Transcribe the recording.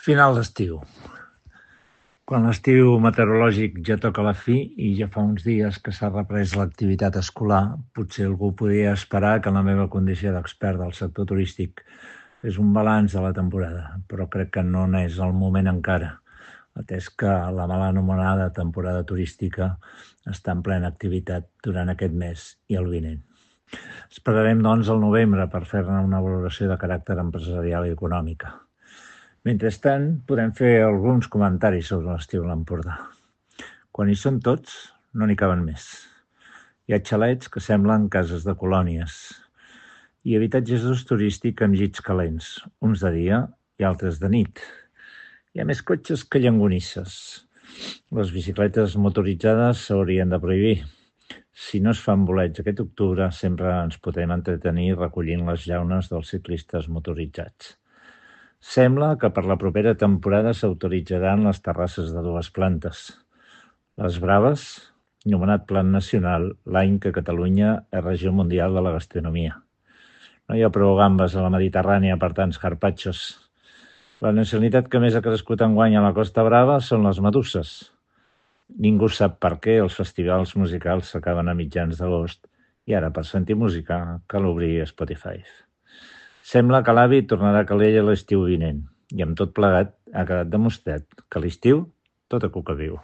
Final d'estiu. Quan l'estiu meteorològic ja toca a la fi i ja fa uns dies que s'ha reprès l'activitat escolar, potser algú podia esperar que en la meva condició d'expert del sector turístic és un balanç de la temporada, però crec que no n'és el moment encara, atès que la mal anomenada temporada turística està en plena activitat durant aquest mes i el vinent. Esperarem, doncs, al novembre per fer-ne una valoració de caràcter empresarial i econòmica. Mentrestant, podem fer alguns comentaris sobre l'estiu a l'Empordà. Quan hi són tots, no n'hi caben més. Hi ha xalets que semblen cases de colònies i habitatges d'ús turístic amb llits calents, uns de dia i altres de nit. Hi ha més cotxes que llonganisses. Les bicicletes motoritzades s'haurien de prohibir. Si no es fan bolets aquest octubre, sempre ens podem entretenir recollint les llaunes dels ciclistes motoritzats. Sembla que per la propera temporada s'autoritzaran les terrasses de 2 plantes. Les Braves, nomenat Plan Nacional l'any que Catalunya és regió mundial de la gastronomia. No hi ha prou gambes a la Mediterrània per tants carpaccios. La nacionalitat que més ha crescut enguany a la Costa Brava són les meduses. Ningú sap per què els festivals musicals s'acaben a mitjans d'agost i ara, per sentir música, cal obrir Spotify. Sembla que l'avi tornarà a Calella l'estiu vinent i amb tot plegat ha quedat demostrat que a l'estiu tot a cuca viu.